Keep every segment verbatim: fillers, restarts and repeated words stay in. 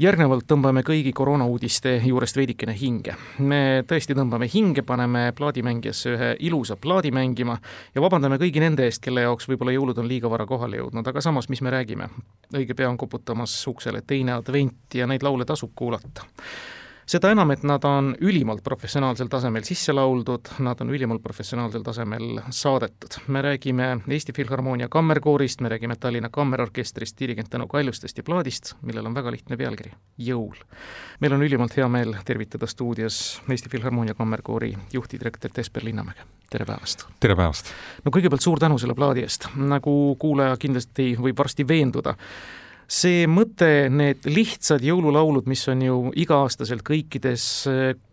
Järgnevalt tõmbame kõigi koroonauudiste juurest veidikene hinge. Me tõesti tõmbame hinge, paneme plaadimängijasse ühe ilusa plaadi mängima ja vabandame kõigi nende eest, kelle jaoks võib-olla jõulud on liiga vara kohale jõudnud, aga samas, mis me räägime? Õige pea on koputamas uksele teine advent ja neid laule tasub kuulata. Seda enam, et nad on ülimalt professionaalsel tasemel sisse lauldud, nad on ülimalt professionaalsel tasemel saadetud. Me räägime Eesti Filharmoonia kammerkoorist, me räägime Tallinna Kammerorkestrist, dirigent Tõnu Kaljustest ja plaadist, millel on väga lihtne pealkiri – Jõul. Meil on ülimalt hea meel tervitada stuudios Eesti Filharmoonia kammerkoori juhtidirektor Tesper Linnamäge. Tere päevast! Tere päevast! No kõigepealt suur tänu selle plaadi eest. Nagu kuulaja kindlasti võib varsti veenduda, see mõte, need lihtsad jõululaulud, mis on ju iga-aastaselt kõikides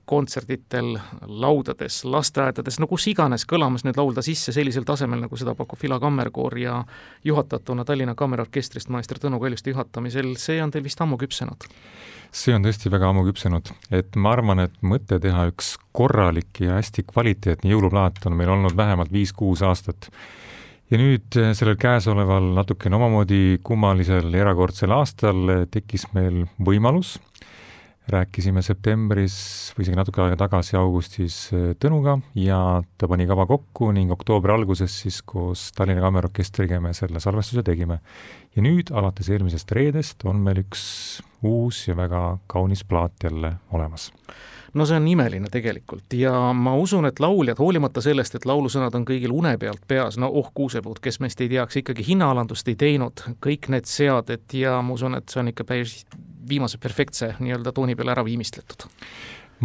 kontserditel, laudades, lasteaedades, no kus iganes kõlamas nüüd laulda sisse sellisel tasemel, nagu seda pakub Fila kammerkoor ja juhatatuna Tallinna Kammerorkestrist maester Tõnu Kaljuste juhatamisel, see on teil vist ammu küpsenud? See on tõesti väga ammu küpsenud, et ma arvan, et mõte teha üks korralik ja hästi kvaliteetne jõuluplaat on meil olnud vähemalt viis-kuus aastat. Ja nüüd sellel käesoleval natukene omamoodi kummalisel erakordsel aastal tekkis meil võimalus. Rääkisime septembris või isegi natuke aega tagasi augustis Tõnuga ja ta pani kava kokku ning oktoobri alguses siis koos Tallinna Kammerorkestriga me selle salvestuse tegime. Ja nüüd alates eelmisest reedest on meil üks uus ja väga kaunis plaat jälle olemas. No see on imeline tegelikult ja ma usun, et lauljad, hoolimata sellest, et laulusõnad on kõigil une pealt peas, no oh kuusepuud, kes meist ei teaks, ikkagi hinnaalandust ei teinud, kõik need seaded ja ma usun, et see on ikka päris viimase perfektse nii-öelda tooni peale ära viimistletud.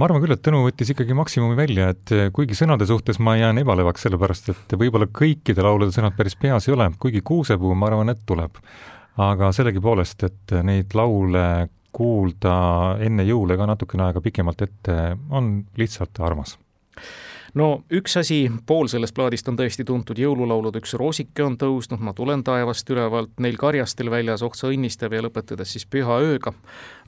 Ma arvan küll, et Tõnu võttis ikkagi maksimumi välja, et kuigi sõnade suhtes ma jään ebalevaks sellepärast, et võib-olla kõikide laulude sõnad päris peas ei ole, kuigi kuusepuu ma arvan, et tuleb. Aga sellegi poolest, et neid laule kuulda enne jõule ka natukene aega pikemalt ette on lihtsalt armas. No üks asi, pool sellest plaadist on tõesti tuntud jõululaulud, üks roosike on tõusnud, ma tulen taevast ülevalt, neil karjastel väljas ohtsa õnnistab ja lõpetades siis püha ööga.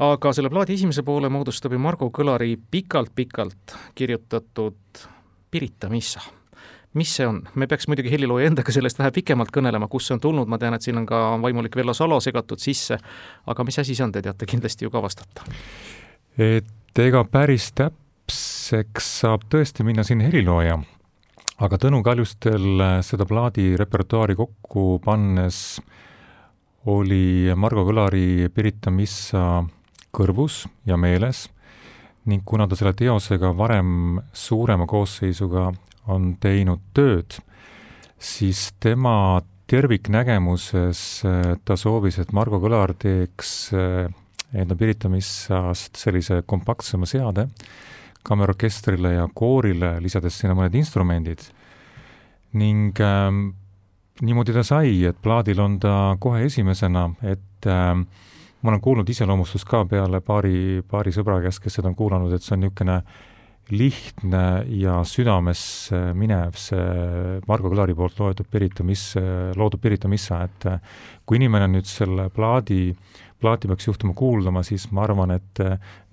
Aga selle plaadi esimese poole moodustab ju Margo Kõlari pikalt-pikalt kirjutatud Pirita missa. Mis see on? Me peaks muidugi helilooja endaga sellest vähe pikemalt kõnelema, kus see on tulnud, ma tean, et siin on ka vaimulik Vello Salo segatud sisse, aga mis asi see on, te teate kindlasti ju ka vastata? Et ega päris täpseks saab tõesti minna siin helilooja, aga Tõnu Kaljustel seda plaadi repertuaari kokku pannes oli Margo Kõlari Pirita missa kõrvus ja meeles ning kuna ta selle teosega varem suurema koosseisuga on teinud tööd, siis tema terviknägemuses ta soovis, et Margo Kõlar teeks enda Pirita missast sellise kompaktsema seade kammerorkestrile ja koorile, lisades sinna mõned instrumendid. Ning ähm, niimoodi ta sai, et plaadil on ta kohe esimesena, et ähm, ma olen kuulnud iseloomustust ka peale paari, paari sõbra käest, kes seda on kuulanud, et see on niisugune lihtne ja südames minev see Margo Kõlari poolt loetud Pirita missa, loodud Pirita missa, et kui inimene nüüd selle plaadi, plaati peaks juhtuma kuuldama, siis ma arvan, et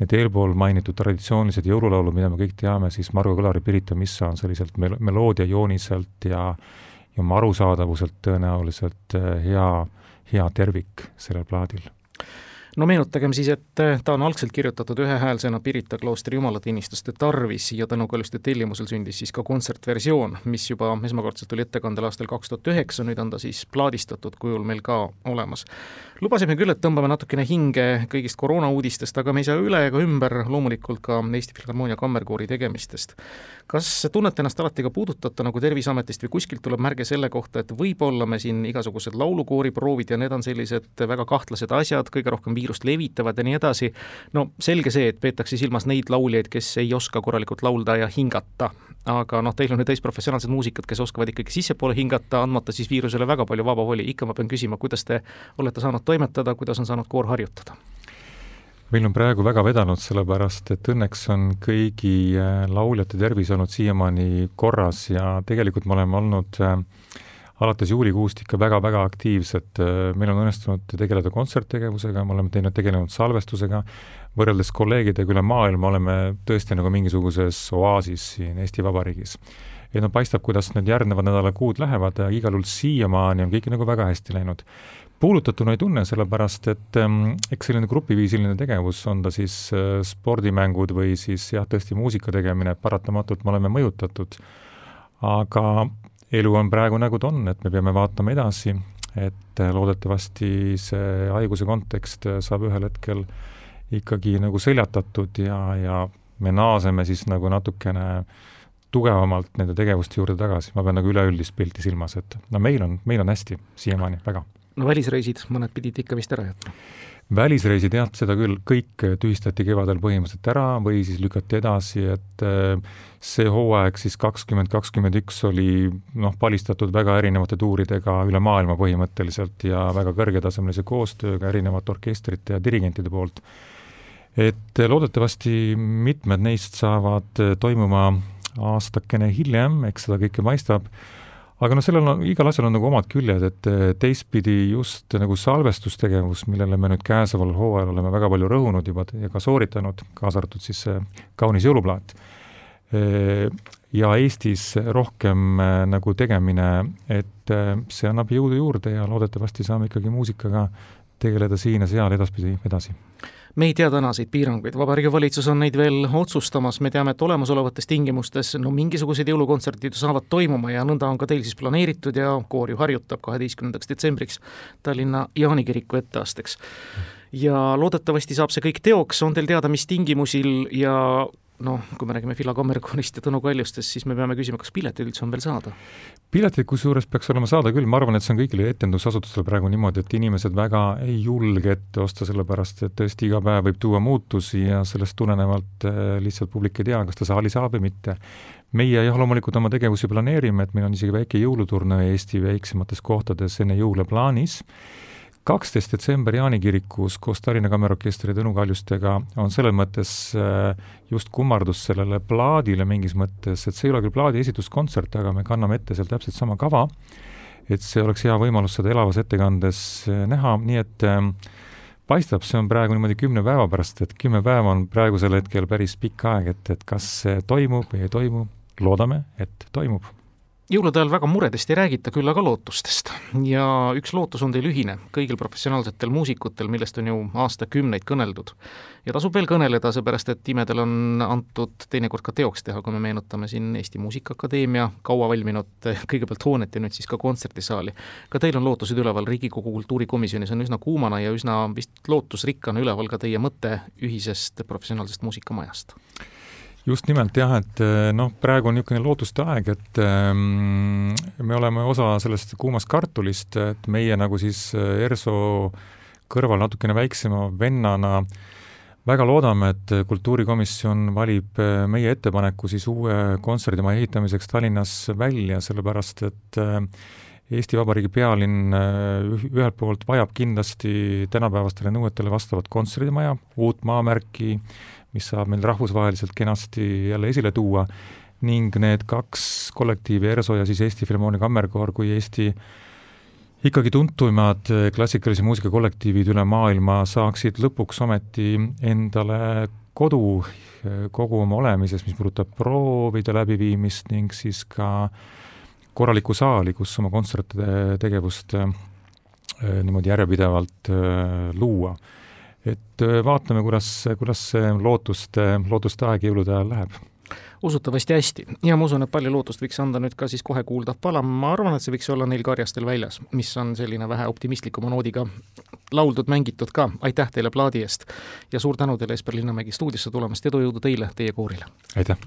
need eelpool mainitud traditsioonilised jõululaulud, mida me kõik teame, siis Margo Kõlari Pirita missa on selliselt mel- meloodia jooniselt ja, ja oma arusaadavuselt tõenäoliselt hea, hea tervik sellel plaadil. No meenutagem siis, et ta on algselt kirjutatud ühehäälsena Pirita kloostri jumalateenistuste tarvis ja Tõnu Kaljuste tellimusel sündis siis ka kontsertversioon, mis juba esmakordselt oli ettekandel aastal kaks tuhat üheksa, nüüd on ta siis plaadistatud kujul meil ka olemas. Lubasime küll, et tõmbame natukene hinge kõigist koroonauudistest, aga me ei saa üle ega ümber loomulikult ka Eesti Filharmoonia kammerkoori tegemistest. Kas tunnete ennast alati ka puudutata nagu Terviseametist või kuskilt tuleb märge selle kohta, et võib-olla me siin igasugused laulukoori proovid ja need on sellised väga kahtlased asjad, kõige rohkem viirust levitavad ja nii edasi. No selge see, et peetakse silmas neid lauljaid, kes ei oska korralikult laulda ja hingata. Aga noh, teil on nüüd täis professionaalsed muusikud, kes oskavad ikkagi sissepoole hingata, andmata siis viirusele väga palju vaba voli. Ikka ma pean küsima, kuidas te olete saanud toimetada, kuidas on saanud koor harjutada? Meil on praegu väga vedanud, sellepärast, et õnneks on kõigi lauljate tervis olnud siiamaani korras ja tegelikult me oleme olnud alates juulikuust ikka väga-väga aktiivsed. Meil on õnnestunud tegeleda kontserttegevusega, me oleme teinud tegelenud salvestusega, võrreldes kolleegidega üle maailma oleme tõesti nagu mingisuguses oaasis siin Eesti Vabariigis. Ja no paistab, kuidas need järgnevad nädala kuud lähevad ja igal juhul siiamaani on kõik nagu väga hästi läinud. puudutatuna ei tunne, sellepärast et ähm, eks selline grupiviisiline tegevus, on ta siis äh, spordimängud või siis jah, tõesti muusika tegemine, paratamatult me oleme mõjutatud. Aga elu on praegu nagu ta on, et me peame vaatama edasi, et loodetavasti see haiguse kontekst saab ühel hetkel ikkagi nagu seljatatud ja, ja me naaseme siis nagu natukene tugevamalt nende tegevuste juurde tagasi. Ma pean nagu üleüldist pilti silmas, et no meil on, meil on hästi siiamaani, väga. No välisreisid, mõned pidid ikka vist ära jätma. Välisreisid, jah, seda küll kõik tühistati kevadel põhimõtteliselt ära või siis lükati edasi, et see hooaeg siis kakskümmend kakskümmend üks oli noh, palistatud väga erinevate tuuridega üle maailma põhimõtteliselt ja väga kõrgetasemelise koostööga erinevate orkestrite ja dirigentide poolt. Et loodetavasti mitmed neist saavad toimuma aastakene hiljem, eks seda kõike paistab, aga no sellel on, igal asjal on nagu omad küljed, et teistpidi just nagu salvestustegevus, millele me nüüd käesoleval hooajal oleme väga palju rõhunud juba ja ka sooritanud, kaasa arvatud siis kaunis jõuluplaat. Ja Eestis rohkem nagu tegemine, et see annab jõudu juurde ja loodetavasti saame ikkagi muusikaga tegeleda siin ja seal edaspidi edasi. Me ei tea tänaseid piiranguid, Vabariigi Valitsus on neid veel otsustamas, me teame, et olemasolevates tingimustes no mingisugused jõulukontserdid saavad toimuma ja nõnda on ka teil siis planeeritud ja koor ju harjutab kaheteistkümnendaks detsembriks Tallinna Jaanikiriku etteasteks. Ja loodetavasti saab see kõik teoks, on teil teada, mis tingimusil ja noh, kui me räägime Fila Kammerkoorist ja Tõnu Kaljustest, siis me peame küsima, kas piletid üldse on veel saada? Piletid kusjuures peaks olema saada küll, ma arvan, et see on kõigile etendusasutustel praegu niimoodi, et inimesed väga ei julge ette osta, sellepärast et tõesti iga päev võib tuua muutusi ja sellest tulenevalt lihtsalt publik ei tea, kas ta saali saab või mitte. Meie jah, loomulikult oma tegevusi planeerime, et meil on isegi väike jõuluturne Eesti väiksemates kohtades enne jõule plaanis. kaksteist detsember Jaanikirikus koos Tallinna Kammerorkestri ja Tõnu Kaljustega on selles mõttes just kummardus sellele plaadile mingis mõttes, et see ei ole küll plaadi esituskontsert, aga me kanname ette seal täpselt sama kava, et see oleks hea võimalus seda elavas ettekandes näha, nii et paistab, see on praegu niimoodi kümne päeva pärast, et kümme päeva on praegusel hetkel päris pikk aeg, et, et kas see toimub või ei toimu, loodame, et toimub. Jõulude ajal väga muredest ei räägita, küll aga lootustest. Ja üks lootus on teil ühine kõigil professionaalsetel muusikutel, millest on ju aastakümneid kõneldud. Ja tasub veel kõneleda, seepärast et imedel on antud teinekord ka teoks teha, kui me meenutame siin Eesti Muusikaakadeemia kaua valminud kõigepealt hoonet ja nüüd siis ka kontserdisaali. Ka teil on lootused üleval, Riigikogu kultuurikomisjonis on üsna kuumana ja üsna vist lootusrikkana üleval ka teie mõte ühisest professionaalsest muusikamajast. Just nimelt jah, et noh, praegu on niisugune lootuste aeg, et ähm, me oleme osa sellest kuumast kartulist, et meie nagu siis ERSO kõrval natukene väiksema vennana väga loodame, et kultuurikomisjon valib meie ettepaneku siis uue kontserdimaja ehitamiseks Tallinnas välja, sellepärast et Eesti Vabariigi pealinn ühelt poolt vajab kindlasti tänapäevastele nõuetele vastavat kontserdimaja, uut maamärki, mis saab meil rahvusvaheliselt kenasti jälle esile tuua ning need kaks kollektiivi, ERSO ja siis Eesti Filharmoonia Kammerkoor kui Eesti ikkagi tuntumad klassikalise muusika kollektiivid üle maailma saaksid lõpuks ometi endale kodu kogu oma olemises, mis puudutab proovide läbiviimist ning siis ka korraliku saali, kus oma kontsertide tegevust niimoodi järjepidevalt luua. Et vaatame, kuidas, kuidas see lootuste, lootuste aeg jõulude ajal läheb. Usutavasti hästi. Ja ma usun, et palju lootust võiks anda nüüd ka siis kohe kuuldav pala. Ma arvan, et see võiks olla neil Karjastel väljas, mis on selline vähe optimistlikuma noodiga lauldud, mängitud ka. Aitäh teile plaadi eest ja suur tänu teile Esper Linnamägi stuudiosse tulemast. Edu jõudu teile, teie koorile. Aitäh!